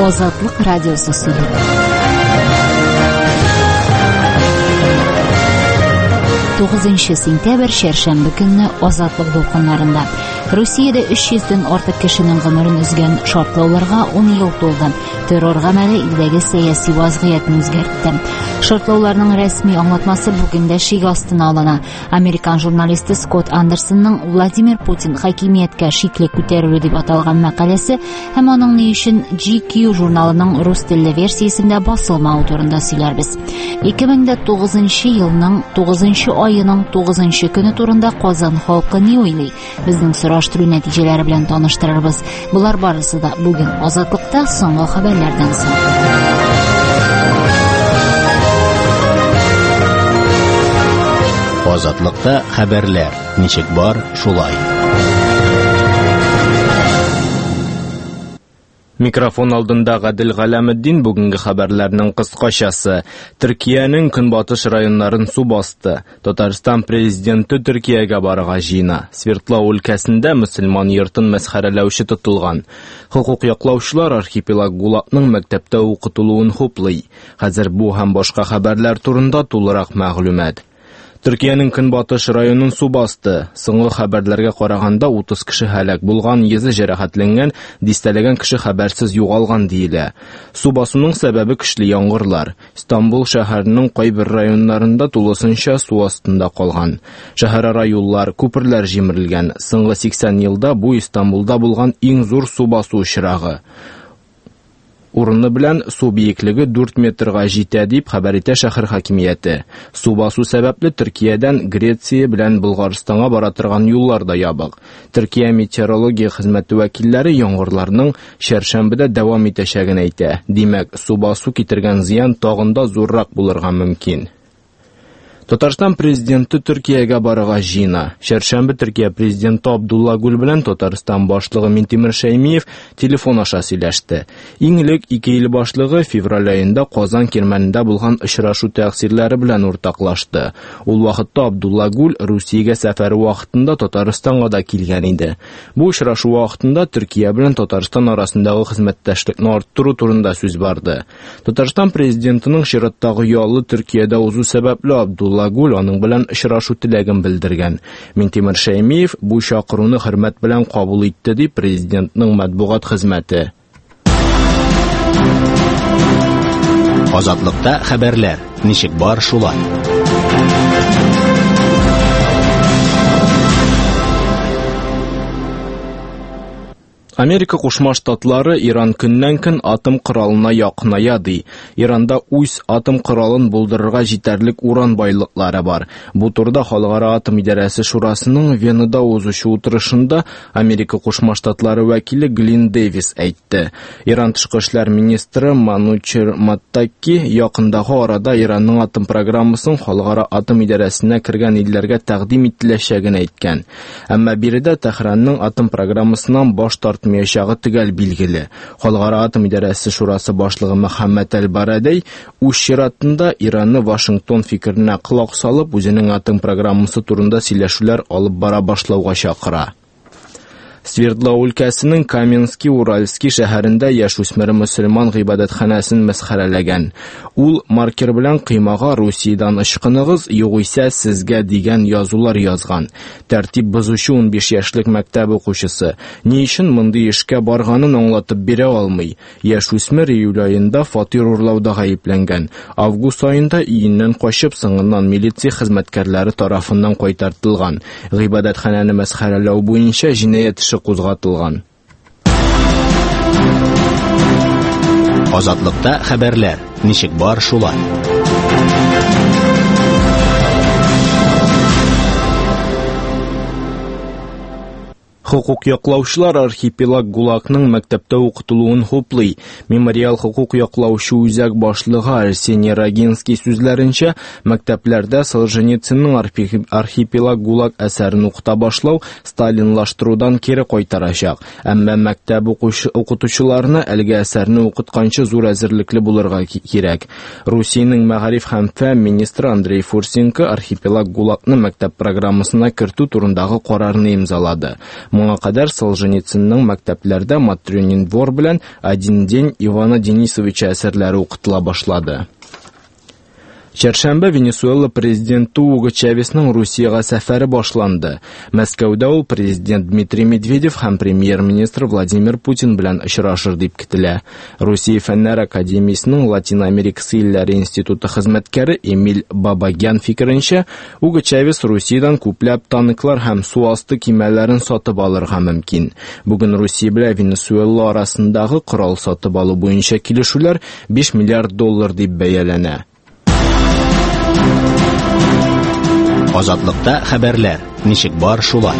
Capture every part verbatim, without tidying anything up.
Азатлык радиосы сөйли. Тугызынчы сентябрь чәршәмбе көнне Азатлык дулкыннарында Русиядә өч йөздән артык кешенең гомерен өзгән шартлауларга ун ел тулды. Террор гамәле илдәге сәяси вазгыятьне үзгәртте. Шартлауларның рәсми аңлатмасы бүген дә шик астына алына. Американ журналисты Скотт Андерсонның Владимир Путин хакимияткә шикле күтәрелү дип аталган мәкаләсе һәм аның ни өчен Джи Кью журналының рус телле версиясендә басылмавы турында сөйләрбез. ике мең дә тугызынчы елның тугызынчы айының тугызынчы көне турында Казан халкы ни уйлый? Безнең сораштыру нәтиҗәләре белән таныштырырбыз. Болар барысы да бүген Азатлыкта соңгы хәбәрләрдән соң. Азатлыкта хәбәрләр ничек бар, шулай. Микрофон алдында Гадел Галәметдин. Бүгенге хәбәрләрнең кыскачасы. Төркиянең көнбатыш районнарын су басты. Татарстан президенты Төркиягә барырга җыена. Свердлау өлкәсендә мөселман йортын мәсхәрәләүче тотылган. Хокук яклаучылар архипелаг ГУЛАГның мәктәптә укытылуын хуплый. Хәзер бу һәм башка хәбәрләр турында тулырак мәгълүмат. Төркиянең көнбатыш районын су басты. Соңгы хәбәрләргә караганда утыз кеше һәлак булган, йөзе җәрәхәтләнгән, дистәләгән кеше хәбәрсез югалган диелә. Су басуның сәбәбе көчле яңгырлар. Истанбул шәһәренең кайбер районнарында тулысынча су астында калган. Шәһәрара юллар, күперләр җимерелгән. Соңгы сиксән елда бу Истанбулда булган иң зур су басу очрагы. Урыны белән су биеклеге дүрт метрга җитә дип хәбәр итә шәһәр хакимияте. Су басу сәбәпле Төркиядән Греция белән Болгарстанга бара торган юллар да ябык. Төркия метеорология хезмәте вәкилләре яңгырларның чәршәмбедә дәвам итәчәген әйтә. Димәк, су басу китергән зыян тагын да зуррак булырга мөмкин. Татарстан президенты Төркиягә барырга җыена. Чәршәмбе Төркия президенты Абдулла Гүл белән Татарстан башлыгы Минтимер Шәймиев телефон аша сөйләште. Иң элек ике ил башлыгы февраль аенда Казан кирмәнендә булган очрашу тәэсирләре белән уртаклашты. Ул вакытта Абдулла Гүл Русиягә сәфәре вакытында Татарстанга да килгән иде. Бу очрашу вакытында Төркия белән Татарстан арасындагы хезмәттәшлекне арттыру турында сүз барды. Татарстан президентының чираттагы ялы Төркиядә узу сәбәпле Абдулла Гүл аның белән очрашу теләген белдергән. Минтимер Шәймиев бу чакыруны хөрмәт белән кабул итте дип президентның матбугат хезмәте. Азатлыкта хәбәрләр ничек бар, шулай. Америка Кушма Штатлары Иран көннән-көн атом коралына якыная ди. Иранда үз атом коралын булдырырга җитәрлек уран байлыклары бар. Бу турыда Халыкара атом идарәсе шурасының Венада узучы утырышында Америка Кушма Штатлары вәкиле Глин Дэвис әйтте. Иран тышкы эшләр министры Манучер Маттаки якындагы арада Иранның атом программасын Халыкара атом идарәсенә кергән илләргә тәкъдим ителәчәген әйткән. Әмма биредә Тәһранның атом программасыннан баш тартмаячагы төгәл билгеле. Халыкара атом идарәсе шурасы башлыгы Мөхәммәд әл-Барадей үз чиратында Иранны Вашингтон фикеренә колак салып, үзенең атом программасы турында сөйләшүләр алып бара башлауга чакыра. Свердлау өлкәсенең Каменский Уральский шәһәрендә яшүсмер мөселман гыйбадәтханәсен мәсхәрәләгән. Ул маркер белән кыймага Русиядән ычкыныгыз, югыйсә сезгә дигән язулар язган. Тәртип бозучы унбиш яшьлек мәктәп укучысы ни өчен мондый эшкә барганын аңлатып бирә алмый. Яшүсмер июль аенда фатир урлауда гаепләнгән. Август аенда өеннән качып, соңыннан милиция хезмәткәрләре тарафыннан кайтартылган. Гыйбадәтханәне мәсхәрәләү буенча җинаять эше кузгатылган. Азатлыкта хәбәрләр ничек бар, шулай. Хокук яклаучылар архипелаг ГУЛАГның мәктәптә укытылуын хуплый. Мемориал хокук яклаучы үзәк башлыгы Арсений Рогинский сүзләренчә, мәктәпләрдә Солженицынның архипелаг ГУЛАГ әсәрен укыта башлау сталинлаштырудан кире кайтарачак. Әмма мәктәп укытучыларына әлеге әсәрне укытканчы зур әзерлекле булырга кирәк. Русиянең мәгариф һәм фән министры Андрей Фурсенко архипелаг ГУЛАГны мәктәп программасына кертү турындагы карарны имзалады. Моңа кадәр Солженицынның мәктәпләрдә Матрёнин двор белән «Один день Ивана Денисовича» әсәрләре укытыла башлады. Чәршәмбе Венесуэла президенты Уго Чавесның Русиягә сәфәре башланды. Мәскәүдә ул президент Дмитрий Медведев һәм премьер-министр Владимир Путин белән очрашыр дип көтелә. Русия Фәннәр академиясенең Латин Америкасы илләре институты хезмәткәре Эмиль Бабагян фикеренчә, Уго Чавес Русиядән күпләп танклар һәм су асты кимәләрен сатып алырга мөмкин. Бүген Русия белән Венесуэла арасындагы корал сатып алу буенча килешүләр биш миллиард доллар дип бәяләнә. Азатлыкта хәбәрләр ничек бар шулай.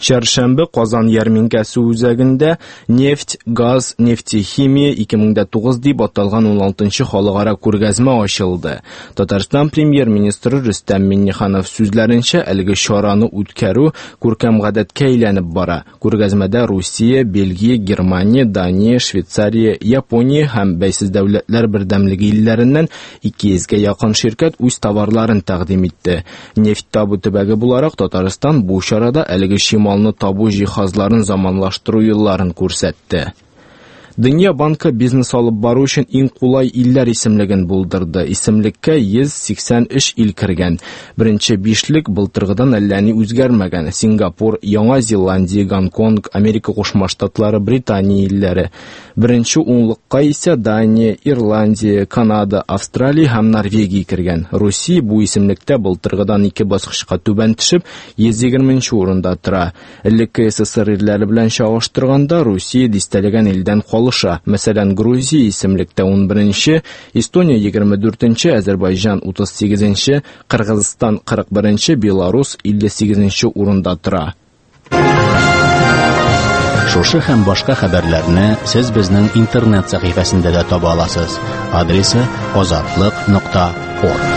Чәршәмбе Казан ярминкәсе үзәгендә нефть, газ, нефтехимия ике мең дә тугыз дип аталган ун алтынчы халыкара күргәзмә ачылды. Татарстан премьер-министры Рөстәм Миңнеханов сүзләренчә, әлеге чараны үткәрү күркәм гадәткә әйләнеп бара. Күргәзмәдә Русия, Бельгия, Германия, Дания, Швейцария, Япония һәм Бәйсез дәүләтләр бердәмлеге илләреннән ике йөзгә якын ширкәт үз товарларын тәкъдим итте. Нефть табу төбәге буларак Татарстан бу чарада әлеге чималны табу җиһазларын заманлаштыру юлларын күрсәтте. Дөнья банкы бизнес алып бару өчен иң кулай илләр исемлеген булдырды. Исемлеккә йөз сиксән өч ил кергән. Беренче бишлек былтыргыдан әллә ни үзгәрмәгән. Сингапур, Яңа Зеландия, Гонконг, Америка Кушма Штатлары, Британия илләре. Беренче унлыкка исә Дания, Ирландия, Канада, Австралия һәм Норвегия кергән. Русия бу исемлектә былтыргыдан ике баскычка түбән төшеп, йөз егерменче урында тора. Элекке СССР илләре белән чагыштырганда Русия дистәләгән илдән калыша. Мәсәлән, Грузия исемлектә ун беренче, Эстония егерме дүртенче, Азербайҗан утыз сигезенче, Кыргызстан кырык беренче, Беларус илле сигезенче урында тора. Шушы һәм башка хәбәрләрне сез безнең интернет сәхифәсендә дә таба аласыз. Адресы азатлык нокта орг.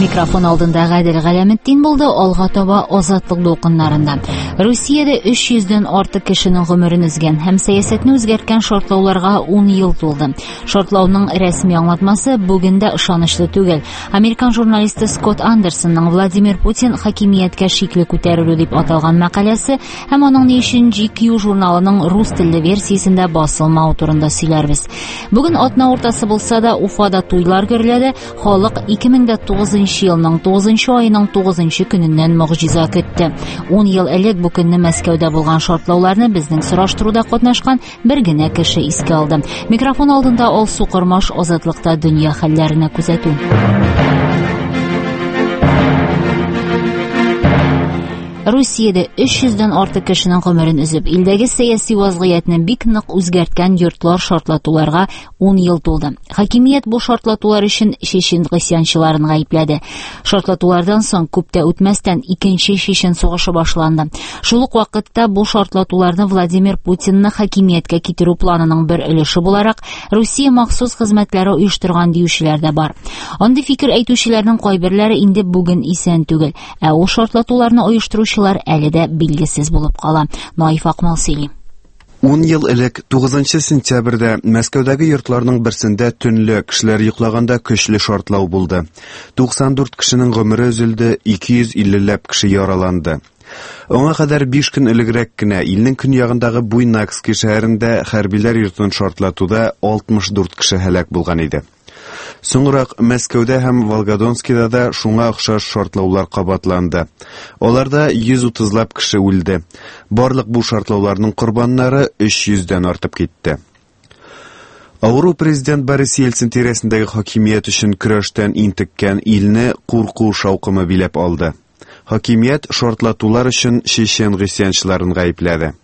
Микрофон алдында Гадел Галәметдин булды, алга таба Азатлык дулкыннарында. Русиядә өч йөздән артык кешенең гомерен өзгән һәм сәясәтне үзгәрткән шартлауларга ун ел тулды. Шартлауның рәсми аңлатмасы бүген дә ышанычлы түгел. Американ журналисты Скотт Андерсонның Владимир Путин хакимияткә шикле күтәрелү дип аталган мәкаләсе һәм аның ни өчен Джи Кью журналының рус телле версиясендә басылмавы турында сөйләрбез. Бүген атна уртасы булса да Уфада туйлар гөрләде. Халык ике мең дә тугызынчы елның тугызынчы айының тугызынчы көненнән могҗиза көтте. Ун ел элек бу көнне Мәскәүдә булган шартлауларны безнең сораштыруда катнашкан бер генә кеше искә алды. Микрофон алдында Алсу Кормаш, Азатлыкта дөнья хәлләренә күзәтү. Русиядә өч йөздән артык кешенең гомерен өзеп, илдәге сәяси вазгыятьне бик нык үзгәрткән йортлар шартлатуларга ун ел тулды. Хакимият бу шартлатулар өчен чечен гыйсьянчыларын гаепләде. Шартлатулардан соң күп тә үтмәстән икенче чечен сугышы башланды. Шул ук вакытта бу шартлатуларны Владимир Путинны хакимияткә китерү планының бер өлеше буларак Русия махсус хезмәтләре оештырган диючеләр дә бар. Андый фикер әйтүчеләрнең кайберләре инде бүген исән түгел, ә ул шартлатуларны оештыручы әле дә билгесез булып кала. Наиф Акмал сөйли. Ун ел элек тугызынчы сентябрьдә Мәскәүдәге йортларның берсендә төнлә кешеләр йоклаганда көчле шартлау булды. Туксан дүрт кешенең гомере өзелде, ике йөз иллеләп кеше яраланды. Аңа кадәр биш көн элегрәк кенә илнең көньягындагы Буйнакский шәһәрендә хәрбиләр йортын шартлатуда алтмыш дүрт кеше һәлак булган иде. Соңрак Мәскәүдә һәм Волгодонскида да шуңа охшаш шартлаулар кабатланды. Аларда йөз утызлап кеше үлде. Барлык бу шартлауларның корбаннары өч йөздән артып китте. Авыру президент Борис Ельцин тирәсендәге хакимият өчен көрәштән интеккән илне курку шаукымы биләп алды. Хакимият шартлатулар өчен чечен гыйсьянчыларын гаепләде.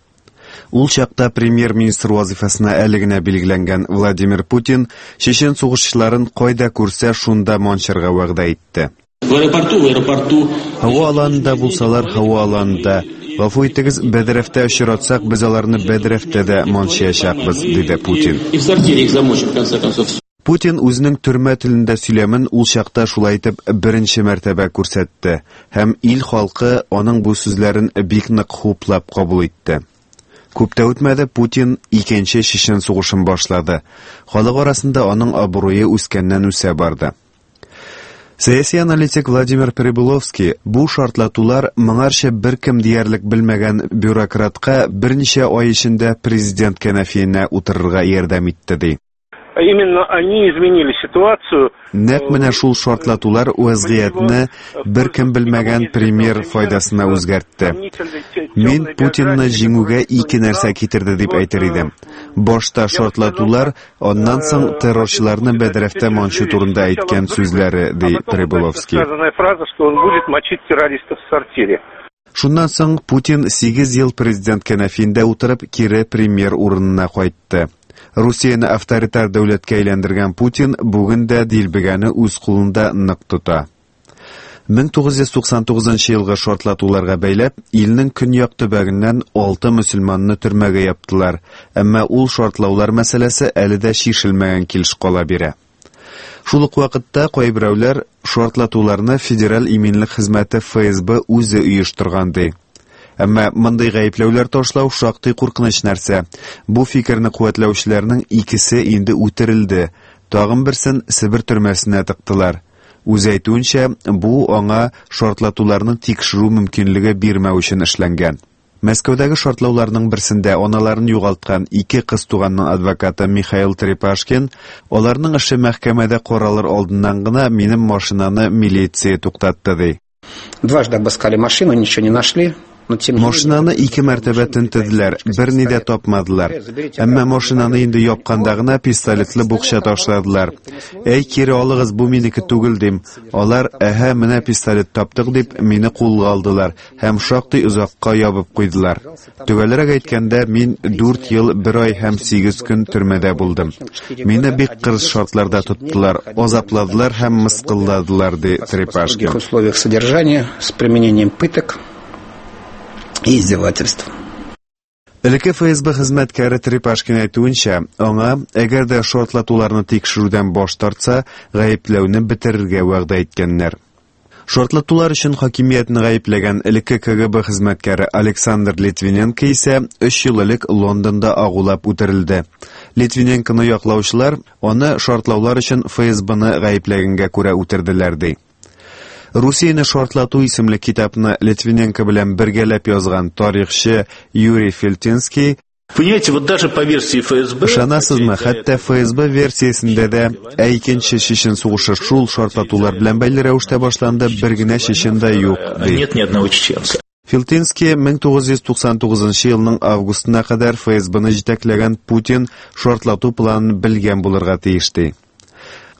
Ул чакта премьер-министр вазифасына әле генә билгеләнгән Владимир Путин чечен сугышчыларын кайда күрсә шунда манчырга вәгъдә итте. В аэропорту, в аэропорту. Һава аланында булсалар, һава аланында. Гафу итегез, бәдрәфтә очратсак, без аларны бәдрәфтә дә манчыячакбыз, диде Путин. И в сортире их замочим, в конце концов. Путин үзенең төрмә телендә сөйләмен ул чакта шулай итеп беренче мәртәбә күрсәтте һәм ил халкы аның бу сүзләрен бик нык хуплап кабул итте. Күп тә үтмәде, Путин икенче Чечен сугышын башлады. Халык арасында аның абруе үскәннән үсә барды. Сәяси аналитик Владимир Прибыловский бу шартлатулар моңарчы беркем диярлек белмәгән бюрократка берничә ай эчендә президент кәнәфиенә утырырга ярдәм итте, ди. Именно они изменили ситуацию. Нәкъ менә шул шартлатулар вазгыятьне беркем белмәгән премьер файдасына үзгәртте. Мин Путинны җиңүгә ике нәрсә китерде дип әйтер идем. Башта шартлатулар, аннан соң террорчыларны бәдрәфтә манчу турында әйткән сүзләре, ди Прибыловский. Сказанная фраза, что он будет мочить террористов в сортире. Шуннан соң Путин сигез ел президент кәнәфиендә утырып кире премьер урынына кайтты. Русияне авторитар дәүләткә әйләндергән Путин бүген дә дилбегәне үз кулында нык тота. мең тугыз йөз туксан тугызынчы елгы шартлатуларга бәйләп, илнең көньяк төбәгеннән алты мөселманны төрмәгә яптылар. Әмма ул шартлаулар мәсьәләсе әле дә чишелмәгән килеш кала бирә. Шул ук вакытта кайберәүләр шартлатуларны Федераль иминлек хезмәте Эф Эс Бэ үзе оештырган ди. Әмма мондый гаепләүләр ташлау шактый куркыныч нәрсә. Бу фикерне куәтләүчеләрнең икесе инде үтерелде. Тагын берсен Себер төрмәсенә тыктылар. Үзе әйтүенчә, бу аңа шартлатуларны тикшерү мөмкинлеге бирмәү өчен эшләнгән. Мәскәүдәге шартлауларның берсендә аналарын югалткан ике кыз туганның адвокаты Михаил Трепашкин, аларның эше мәхкәмәдә каралыр алдыннан гына минем машинаны милиция туктатты, ди. Дважды обыскали машину, ничего не нашли. Но тем не менее, Машинаны ике мәртәбә тентеделәр, берни дә тапмадылар. Әмма машинаны инде япканда гына пистолетлы букча ташладылар. Әй, кире алыгыз, бу минеке түгел, дим. Алар, әһә, менә пистолет таптык дип, мине кулга алдылар һәм шактый озакка ябып куйдылар. Төгәлрәк әйткәндә, мин дүрт ел, бер ай һәм сигез көн төрмәдә булдым. Мине бик кырыс шартларда тоттылар, азапладылар һәм мыскылладылар, ди Трепашкин. В условиях содержания с применением пыток и издевательств. Элекке Эф Эс Бэ хезмәткәре Трепашкин әйтүенчә, аңа, әгәр дә шартлатуларны тикшерүдән баш тартса, гаепләүне бетерергә вәгъдә иткәннәр. Шартлатулар өчен хакимиятне гаепләгән элекке Ка Гэ Бэ хезмәткәре Александр Литвиненко исә өч ел элек Лондонда агулап үтерелде. Литвиненконы яклаучылар аны шартлаулар өчен Эф Эс Бэ-ны гаепләгәнгә күрә үтерделәр, ди. Русияне шартлату исемле китапны Литвиненко белән бергәләп язган тарихчы Юрий Фельтинский Понимаете, вот даже по версии эф эс бэ, Ышанасызмы, хәтта эф эс бэ версиясендә дә, ә икенче Чечен сугышы шул шартлатулар белән бәйле рәвештә башланды, бер генә чечен дә юк, ди. Нет ни одного чеченца. Фельтинский мең тугыз йөз туксан тугызынчы елның августына кадәр эф эс бэ-ны җитәкләгән Путин шартлату планын белгән булырга тиеш, ди.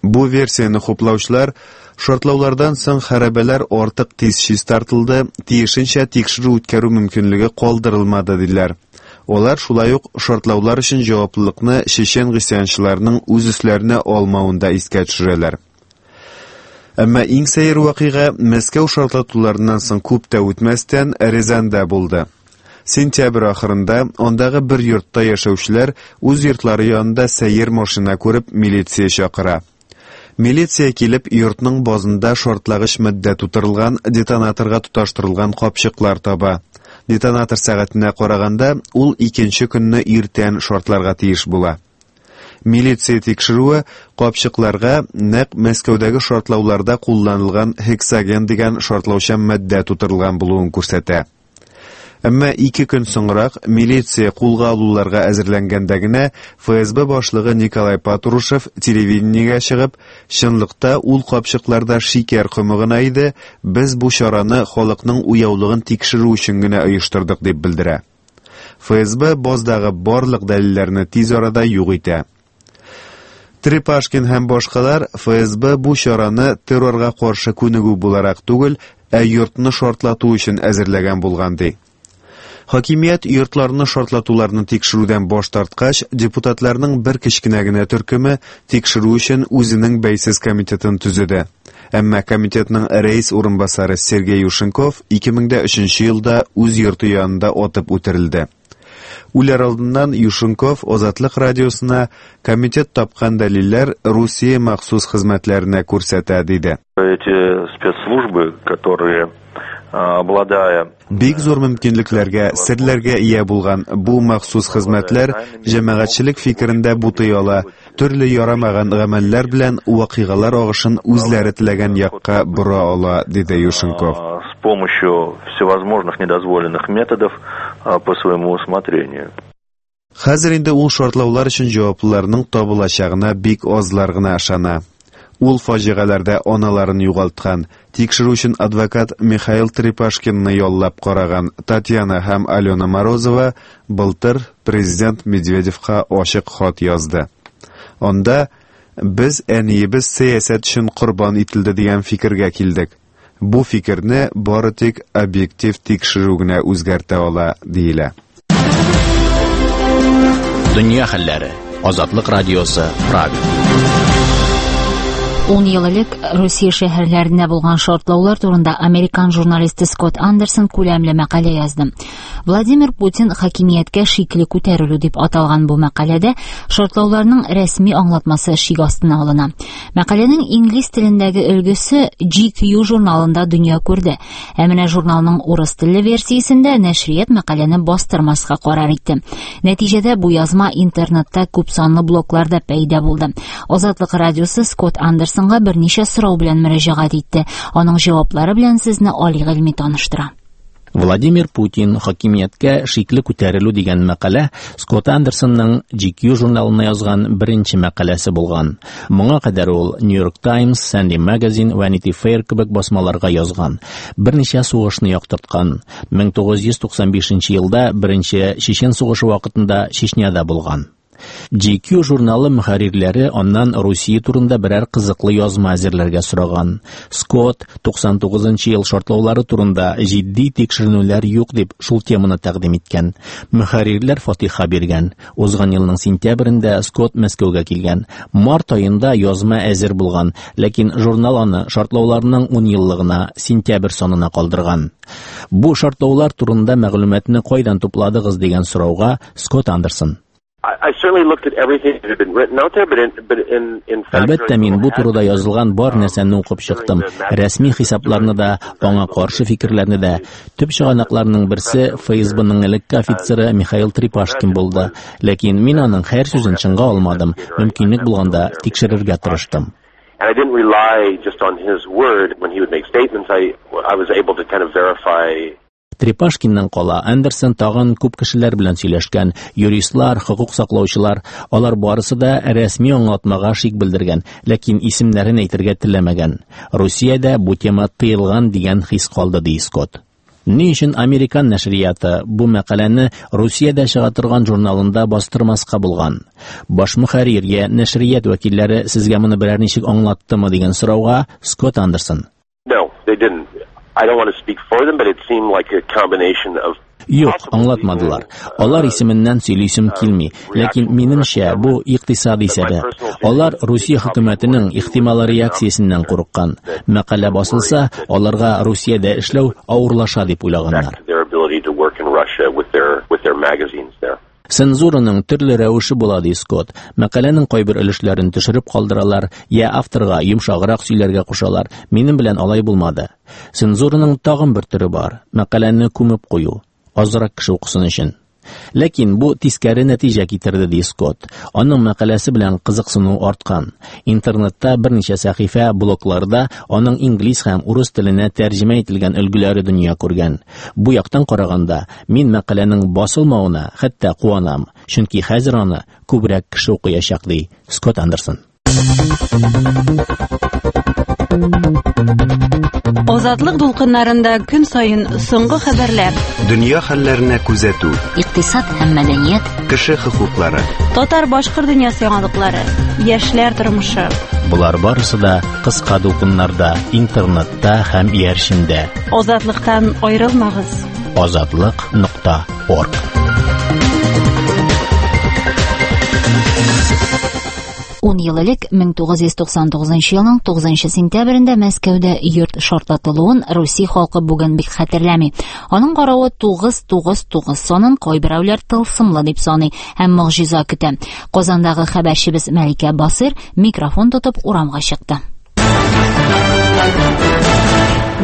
Бу версияне хуплаучылар шартлаулардан соң хәрабәләр артык тиз чистартылды, тиешенчә тикшерү үткәрү мөмкинлеге калдырылмады, диләр. Алар шулай ук шартлаулар өчен җаваплылыкны чечен гыйсьянчыларының үз өсләренә алмавын да искә төшерәләр. Әмма иң сәер вакыйга Мәскәү шартлатуларыннан соң күп тә үтмәстән Рязаньда булды. Сентябрь ахырында андагы бер йортта яшәүчеләр үз йортлары янында сәер машина күреп милиция чакыра. Милиция килеп йортның базында шартлагыч матдә тутырылган детонаторга тоташтырылган капчыклар таба. Детонатор сәгатенә караганда ул икенче көнне иртән шартларга тиеш була. Милиция тикшерүе капчыкларга нәкъ Мәскәүдәге шартлауларда кулланылган гексоген дигән шартлаучан матдә тутырылган булуын күрсәтә. Әмма ике көн соңрак милиция кулга алуларга әзерләнгәндә генә эф эс бэ башлыгы Николай Патрушев телевидениегә чыгып, чынлыкта ул капчыкларда шикәр комы гына иде, без бу чараны халыкның уяулыгын тикшерү өчен генә оештырдык дип белдерә. эф эс бэ баздагы барлык дәлилләрне тиз арада юк итә. Трепашкин һәм башкалар эф эс бэ бу чараны террорга каршы күнегү буларак түгел, ә йортны шартлату өчен әзерләгән булган ди. Хакимият йортларны шартлатуларны тикшерүдән баш тарткач, депутатларның бер кечкенә генә төркеме тикшерү өчен үзенең бәйсез комитетын төзеде. Әмма комитетның рәис урынбасары Сергей Юшенков ике мең дә өченче елда үз йорты янында атып үтерелде. Үләр алдыннан Юшенков Азатлык радиосына комитет тапкан дәлилләр Русия махсус хезмәтләренә күрсәтә, диде. Эти спецслужбы, которые Обладая Бик зур мөмкинлекләргә, серләргә ия булган бу махсус хезмәтләр җәмәгатьчелек фикерендә бутый ала, төрле ярамаган гамәлләр белән вакыйгалар агышын үзләре теләгән якка бора ала, диде Юшенков. С помощью всевозможных недозволенных методов по своему усмотрению. Хәзер инде ул шартлаулар өчен җаваплыларның табылачагына бик азлар гына ышана. Ул фаҗигаләрдә аналарын югалткан, тикшерү өчен адвокат Михаил Трепашкинны яллап караган Татьяна һәм Алена Морозова былтыр президент Медведевка ачык хат язды. Анда без әниебез сәясәт өчен корбан ителде дигән фикергә килдек. Бу фикерне бары тик объектив тикшерү генә үзгәртә ала, диелә. Дөнья хәлләре. Азатлык радиосы, Прага. Ун ел элек Русия шәһәрләрендә булган шартлаулар турында американ журналисты Скотт Андерсон күләмле мәкалә язды. Владимир Путин хакимияткә шикле күтәрелү дип аталган бу мәкаләдә шартлауларның рәсми аңлатмасы шик астына алына. Мәкаләнең инглиз телендәге өлгесе Джи Кью журналында дөнья күрде. Ә менә журналның урыс телле версиясендә нәшрият мәкаләне бастырмаска карар итте. Нәтиҗәдә бу язма интернетта күп санлы блогларда пәйда булды. Азатлык радиосы Скотт Андерсон берничә сорау белән мөрәҗәгать итте. Аның җаваплары белән сезне Али Гыйльми таныштыра. Владимир Путин хакимияткә шикле күтәрелү дигән мәкалә Скотт Андерсонның Джи Кью журналына язган беренче мәкаләсе булган. Моңа кадәр ул New York Times, Sunday Magazine, Vanity Fair кебек басмаларга язган. Берничә сугышны яктырткан. мең тугыз йөз туксан бишенче елда беренче Чечен сугышы вакытында Чечняда булган. Джи Кью журналы мөхәррирләре аннан Русия турында берәр кызыклы язма әзерләргә сораган. Скотт туксан тугызынчы ел шартлаулары турында җитди тикшеренүләр юк дип шул теманы тәкъдим иткән. Мөхәррирләр фатиха биргән. Узган елның сентябрендә Скотт Мәскәүгә килгән. Март аенда язма әзер булган, ләкин журнал аны шартлауларның ун еллыгына сентябрь санына калдырган. Бу шартлаулар турында мәгълүматны кайдан тупладыгыз дигән сорауга Скотт Андерсон: Әлбәттә, мин бу турыда язылган бар нәрсәне укып чыктым. Рәсми хисапларны да, аңа каршы фикерләрне дә. Төп чыганакларның берсе Эф Эс Б-ның элекке офицеры Михаил Трепашкин булды. Ләкин мин аның һәр сүзен чынга алмадым. Мөмкинлек булганда тикшерергә тырыштым. And I didn't rely just on his word when he would make statements. I, I was able to kind of verify. Трепашкиннан кала Андерсон тагын күп кешеләр белән сөйләшкән, юристлар, хокук саклаучылар, алар барысы да рәсми аңлатмага шик белдергән, ләкин исемнәрен әйтергә теләмәгән. Русиядә бу тема тыелган дигән хис калды, ди Скотт. Ни өчен американ нәшрияты бу мәкаләне Русиядә чыга торган журналында бастырмаска булган? Баш мөхәррир я нәшрият вәкилләре сезгә моны берәр ничек аңлаттымы дигән сорауга Скотт Андерсон: No, they didn't. I don't want to speak for them, but it seemed like a combination of Юк, аңлатмадылар. Алар исеменнән сөйлисем килми, ләкин минемчә бу икътисади сәбәп. Алар Русия хөкүмәтенең ихтимал реакциясеннән курыккан. Мәкалә басылса, аларга Русиядә эшләү авырлаша дип уйлаганнар. Цензураның төрле рәвеше була, ди Скотт. Мәкаләнең кайбер өлешләрен төшереп калдыралар, я авторга йомшаграк сөйләргә кушалар. Минем белән алай булмады. Цензураның тагын бер төре бар. Мәкаләне күмеп кую, азрак кеше укысын өчен. Ләкин бу тискәре нәтиҗә китерде, ди Скотт. Аның мәкаләсе белән кызыксыну арткан. Интернетта берничә сәхифә, блогларда аның инглиз һәм урыс теленә тәрҗемә ителгән өлгеләре дөнья күргән. Бу яктан караганда, мин мәкаләнең басылмавына хәтта куанам, чөнки хәзер аны күбрәк кеше укыячак, ди Скотт Андерсон. Азатлык дулкыннарында көн саен соңгы хәбәрләр, дөнья хәлләренә күзәтү, икътисад һәм мәдәният, кеше хокуклары, татар-башкорт дөньясы яңалыклары, яшьләр тормышы. Болар барысы да кыска дулкыннарда, интернетта һәм иярчендә. Азатлыктан аерылмагыз. Азатлык нокта орг. Ун ел элек мең тугыз йөз туксан тугызынчы елның тугызынчы сентябрендә Мәскәүдә йорт шартлатылуын Русия халкы бүген бик хәтерләми. Аның каравы тугыз тугыз тугыз санын кайберәүләр тылсымлы дип саный һәм могҗиза көтә. Казандагы хәбәрчебез Мәликә Басыр микрофон тотып урамга чыкты.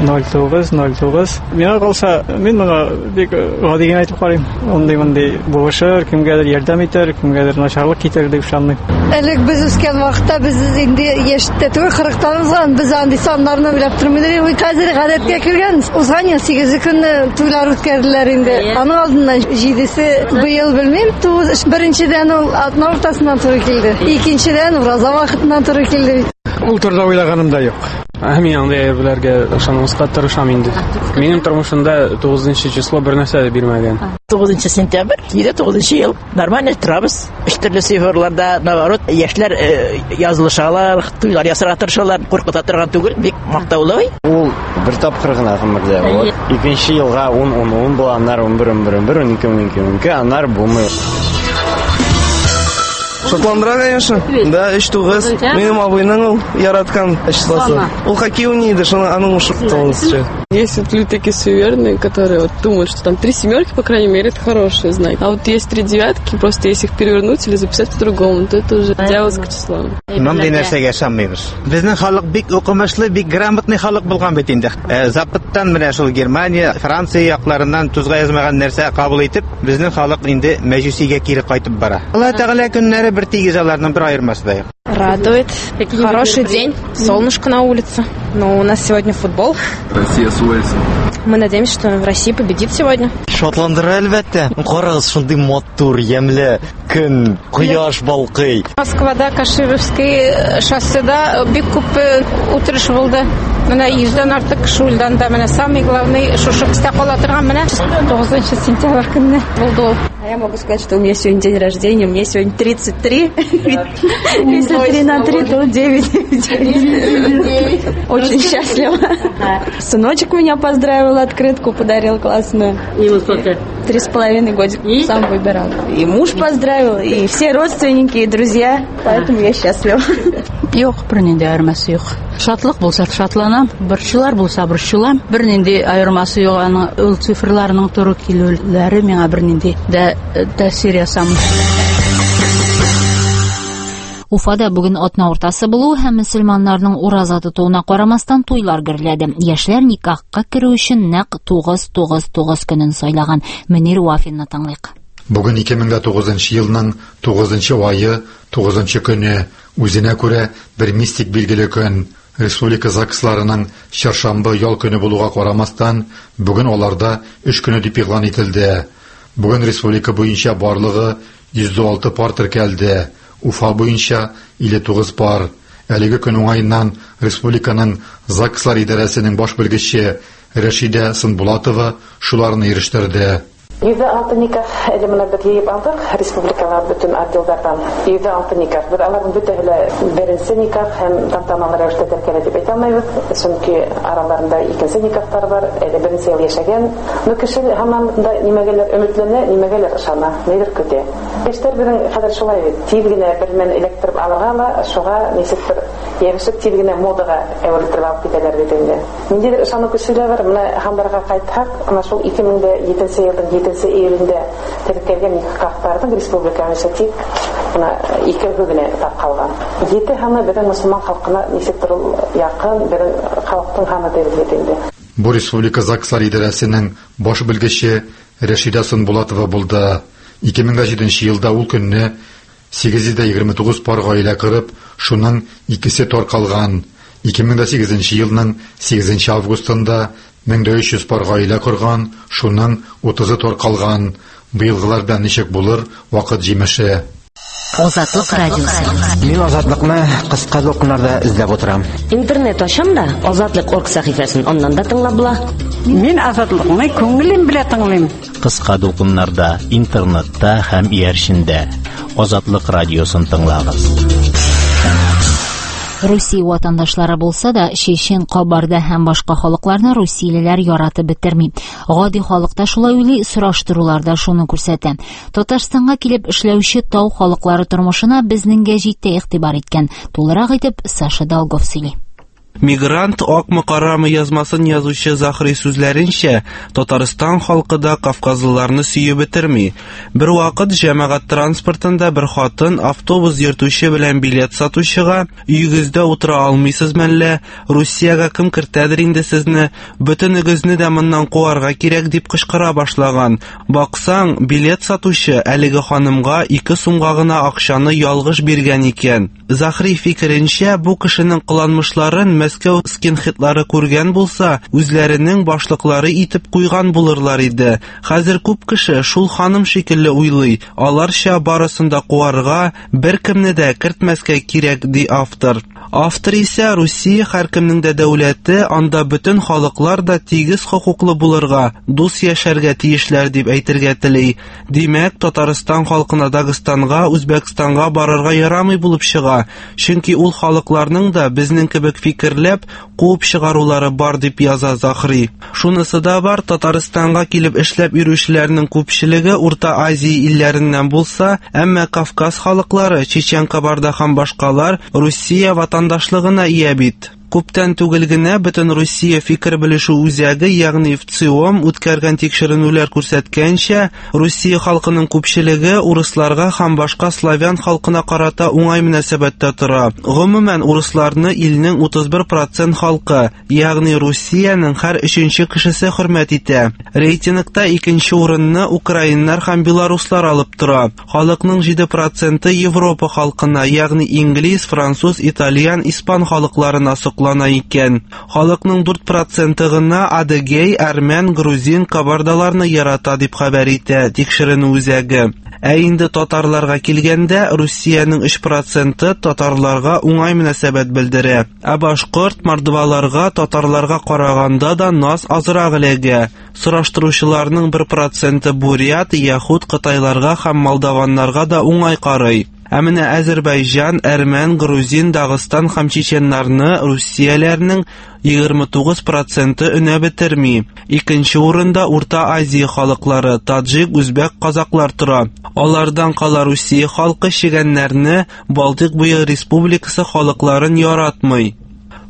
ноль тугыз, ноль тугыз. Миңа калса, мин моңа бик гади генә әйтеп карыйм. Андый-мондый булышыр, кемгәдер ярдәм итәр, кемгәдер начарлык китерер дип ышанмыйм. Элек без үскән вакытта без инде яшьтә түгел, кырыктан узган, без андый саннарны белеп тормыйбыз. Хәзер гадәткә кергән. Узган ел сигезе көнне туйлар үткәрделәр инде. Аның алдыннан җидесе, быел белмим, тугыз. Беренчедән ул атна уртасыннан туры килде. Икенчедән ураза вакытыннан туры килде. Ул турыда уйлаганым да юк. Мин андый әйберләргә ышанмаска тырышам инде. Минем тормышымда тугызынчы число бер нәрсә дә бирмәгән. Тугызынчы сентябрь, егерме тугызынчы ел. Нормально торабыз. Өч төрле цифрларда, наоборот, яшьләр язылышалар, туйлар ясарга тырышалар, куркыта торган түгел, бик мактаулы. Ул бер тапкыр гына гомердә була. Икенче елга ун, ун, ун була, аннары унбер, унбер, унбер, унике, унике, унике, аннары булмый. Шатландыра, конечно. Да, өч тугыз. Минем абыйның ул яраткан числосы. Ул хоккей уйный иде, шуны аның ушы тугызынчы. Есть вот люди такие суеверные, которые вот думают, что там три семерки, по крайней мере, это хороший знак. А вот есть три девятки, просто если их перевернуть или записать по-другому, то это уже дьявольское число. Мондый нәрсәгә ышанмыйбыз. Безнең халык бик укымышлы, бик грамотный халык булган бит инде. Западтан менә шул Германия, Франция якларыннан тузга язмаган нәрсә кабул итеп, безнең халык инде мәҗүсигә кире кайтып бара. Алла Тәгалә көннәре бер тигез, аларның бер аермасы да юк. Радует. Хороший день. Солнышко на улице. Но у нас сегодня футбол. Россия с Уэльсом. Мы надеемся, что Россия победит сегодня. Шатландыра, әлбәттә. Карагыз, шундый матур, ямьле көн, кояш балкый. Москвада Кашировский шосседа бик күп утырыш булды. Менә йөздән артык кеше үлде анда. Менә самый главный шушы истә кала торган менә тугызынчы сентябрь көнне булды ул. А я могу сказать, что у меня сегодня день рождения, мне сегодня тридцать три. Если три на три, то девять. Очень счастлива. Сыночек меня поздравил, открытку подарил классную. Ему сколько? Три с половиной годика. Сам выбирал. И муж поздравил, и все родственники, и друзья. Поэтому я счастлива. Юк, бернинди аермасы юк. Шатлык булса шатланам, борчулар булса борчулам. Бернинди аермасы юк, аның ул цифрларның туры килүләре миңа бернинди дә тәэсир ясамый. Уфада бүген атна уртасы булуы һәм мөселманнарның ураза тотуына карамастан туйлар гөрләде. Яшьләр никахка керү өчен нәкъ тугыз тугыз тугыз көнен сайлаган. Мөнир Вафинны тыңлыйк. Бүген ике мең дә тугызынчы елның тугызынчы ае, тугызынчы көне, үзенә күрә бер мистик билгеле көн. Республика ЗАГСларының чәршәмбе ял көне булуга карамастан, бүген аларда эш көне дип игълан ителде. Бүген республика буенча барлыгы йөз алты пар теркәлде. Уфа буенча илле тугыз пар. Әлеге көн уңаеннан республиканың ЗАГСлар идарәсенең баш белгече Рәшидә Сынбулатова шуларны ирештерде. Йөҙҙә алты никах әле менә беҙ йыйып алдыҡ республикала бөтөн отделдарҙан. Йөҙҙә алты никах. Беҙ аларҙың бөтәһе лә беренсе никах һәм тантаналы рәүештә теркәлә тип әйтә алмайбыҙ, сөнки араларында икенсе никахтар бар, әле беренсе йыл йәшәгән. Но кеше һаман да нимәгәлер өмөтләнә, нимәгәлер ышана, ниҙер көтә. Йәштәр беҙҙең хәҙер шулай бит, тиҙ генә бер менән эләктереп алырға ла, шуға нисектер йәбешеп тиҙ генә модаға әүерелтереп алып китәләр бит инде. Ниндәйҙер ышаныу көсө лә бар. Менә һандарға ҡайтһаҡ, ана шул ике мең дә етенсе йылдың етенсе июлендә теркәлгән никахтарҙың республика буйынса тик бына икәүһе генә тарҡалған. Ете һаны беҙҙең мосолман халҡына нисектер ул яҡын, беҙҙең халыҡтың һаны тип бит инде. Бу республика ЗАГСлар идарәсенең баш белгече Рәшидә Сынбулатова булды. Ике мең дә җиденче елда ул көнне сигез йөз дә егерме тугыз пар гаилә корып, шуның икесе таркалган. Ике мең дә сигезенче елның сигезенче августында мең дә өч йөз пар гаилә корган, шуның утызы таркалган. Быелгылар белән ничек булыр, вакыт җимеше. Азатлык радиосы. Мин Азатлыкны кыска дулкыннарда эзләп утырам. Интернет ачам да, Азатлык орг сәхифәсен аннан да тыңлап була. Мин Азатлыкны күңелем белән тыңлыйм. Кыска дулкыннарда, интернетта һәм иярчендә Азатлык радиосын тыңлагыз. Русия ватандашлары булса да, Чечен, Кабарда һәм башка халыкларны русиялеләр яратып бетерми. Гади халык та шулай уйлый, сораштырулар да шуны күрсәтә. Татарстанга килеп эшләүче тау халыклары тормышына безнең гәҗиттә игътибар иткән. Тулырак итеп Саша Долгов сөйли. Мигрант акмы карамы язмасын язучы Захри сүзләренчә, Татарстан халкы да кавказлыларны сөеп бетерми. Бер вакыт җәмәгать транспортында бер хатын автобус йөртүче белән билет сатучыга: "Өегездә утыра алмыйсыз мәллә? Русиягә кем кертәдер инде сезне? Бөтенегезне дә моннан куарга кирәк", дип кычкыра башлаган. Баксаң, билет сатучы әлеге ханымга ике сумга гына акчаны ялгыш биргән икән. Захри фикеренчә, бу кешенең кыланмышларын Мәскәү скинхедлары күргән булса, үзләренең башлыклары итеп куйган булырлар иде. Хәзер күп кеше шул ханым шикелле уйлый. Аларча барысын да куарга, беркемне дә кертмәскә кирәк, ди автор. Автор исә Русия һәркемнең дә дәүләте, анда бөтен халыклар да тигез хокуклы булырга, дус яшәргә тиешләр дип әйтергә тели. Димәк, Татарстан халкына Дагыстанга, Үзбәкстанга барырга ярамый булып чыга, чөнки ул халыкларның да безнең кебек фикерләп куып чыгарулары бар, дип яза Захри. Шунысы да бар, Татарстанга килеп эшләп йөрүчеләрнең күпчелеге Урта Азия илләреннән булса, әмма Кавказ халыклары, Чечен, Кабарда һәм башкалар Русия ватандашлыгына ия бит. Күптән түгел генә бөтен Русия фикер белешү үзәге, ягъни ВЦИОМ үткәргән тикшеренүләр күрсәткәнчә, Русия халкының күпчелеге урысларга һәм башка славян халкына карата уңай мөнәсәбәттә тора. Гомумән, урысларны илнең утыз бер процент халкы, ягъни Русиянең һәр өченче кешесе хөрмәт итә. Рейтингта икенче урынны украиннар һәм белоруслар алып тора. Халыкның җиде проценты Европа халкына, ягъни инглиз, француз, итальян, испан халыкларына соклана икән. Халыкның дүрт проценты гына адыгей, әрмән, грузин, кабардаларны ярата, дип хәбәр итә тикшеренү үзәге. Ә инде татарларга килгәндә, Русиянең өч проценты татарларга уңай мөнәсәбәт белдерә. Ә башкорт, мордваларга татарларга караганда да наз азрак эләгә. Сораштыручыларның бер проценты бурят, яһүд, кытайларга һәм молдаваннарга да уңай карый. Ә менә Азербайҗан, әрмән, грузин, Дагыстан һәм чеченнарны русияләрнең егерме тугыз проценты өнәп бетерми. Икенче урында Урта Азия халыклары, таджик, үзбәк, казаклар тора. Алардан кала Русия халкы чегәннәрне, Балтыйк буе республикасы халыкларын яратмый.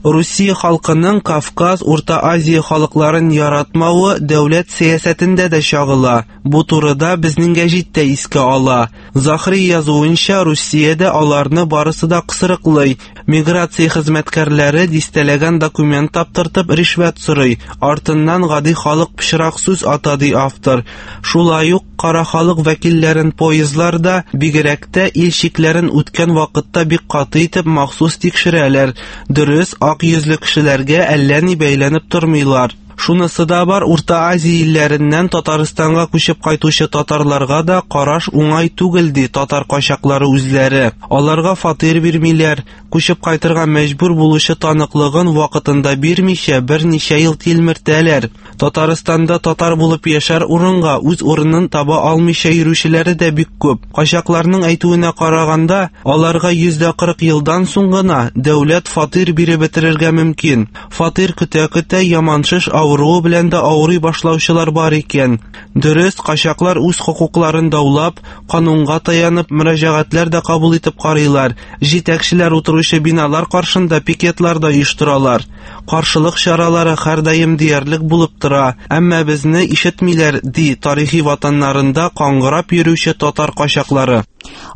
Русия халкының Кавказ, Урта Азия халыкларын яратмавы дәүләт сәясәтендә дә чагыла. Бу турыда безнең гәҗит тә искә ала. Захри язуынча, Русиядә аларны барысы да кысрыклый. Миграция хезмәткәрләре дистәләгән документ таптыртып ришвәт сорый. Артыннан гади халык пычрак сүз ата, ди автор. Шулай ук кара халык вәкилләрен поездларда, бигрәк тә ил чикләрен үткән вакытта бик каты итеп махсус тикшерәләр. Дөрес, ак йөзле кешеләргә әллә ни бәйләнеп тормыйлар. Шунысы да бар, Урта Азия илләреннән Татарстанга күчеп кайтучы татарларга да караш уңай түгел, ди татар качаклары үзләре. Аларга фатир бирмиләр, күчеп кайтырга мәҗбүр булучы таныклыгын вакытында бирмичә берничә ел тилмертәләр. Татарстанда татар булып яшәр урынга үз урынын таба алмыйча йөрүчеләре дә бик күп. Качакларның әйтүенә караганда, аларга йөз дә кырык елдан соң гына дәүләт фатир биреп бетерергә мөмкин. Фатир көтә-көтә яман шеш авыруы белән дә авырый башлаучылар бар икән. Дөрес, качаклар үз хокукларын даулап, канунга таянып мөрәҗәгатьләр дә кабул итеп карыйлар. Җитәкчеләр утыручы биналар каршында пикетлар да оештыралар. Каршылык чаралары һәрдаим диярлек булып тора, әмма безне ишетмиләр, ди тарихи ватаннарында каңгырап йөрүче татар качаклары.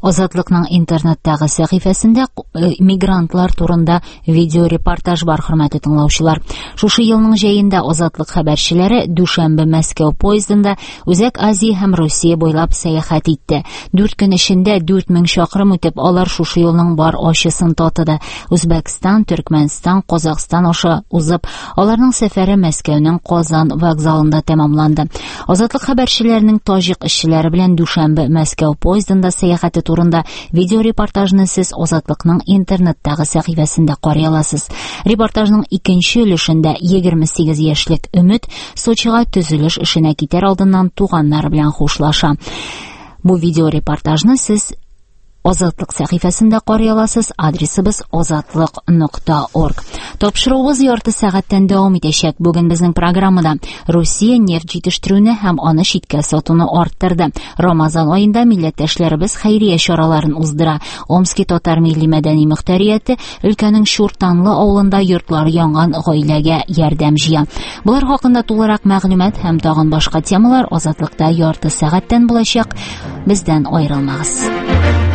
Азатлыкның интернеттагы сәхифәсендә мигрантлар турында видеорепортаж бар, хөрмәтле тыңлаучылар. Шушы елның җәендә Азатлык хәбәрчеләре Дүшәмбе Мәскәү поездында Үзәк Азия һәм Русия буйлап сәяхәт итте. Дүрт көн эчендә дүрт мең чакрым үтеп, алар шушы юлның бар ачысын татыды. Үзбәкстан, Төркмәнстан, Казахстан аша узып, аларның сәфәре Мәскәүнең Казан вокзалында тәмамланды. Азатлык хәбәрчеләренең таҗик эшчеләре белән Дүшәмбе Мәскәү поездында сәяхәте турында видеорепортажны сез Азатлыкның интернеттагы сәхифәсендә карый аласыз. Репортажның икенче өлешендә егерме сигез яшьлек Өмет Сочига төзелеш эшенә китәр алдыннан туганнары белән хушлаша. Бу видеорепортажны сез Азатлык сәхифәсендә карый аласыз. Адресыбыз азатлык нокта орг. Тапшыруыбыз ярты сәгатьтән дәвам итәчәк. Бүген безнең программада Русия нефть җитештерүне һәм аны читкә сатуны арттырды. Рамазан аенда милләттәшләребез хәйрия чараларын уздыра. Омски татар милли мәдәни мөхтәрияте өлкәнең Чуртанлы авылында йортлары янган гаиләгә ярдәм җыя. Болар хакында тулырак мәгълүмат һәм тагын башка темалар Азатлыкта ярты сәгатьтән булачак. Бездән аерылмагыз.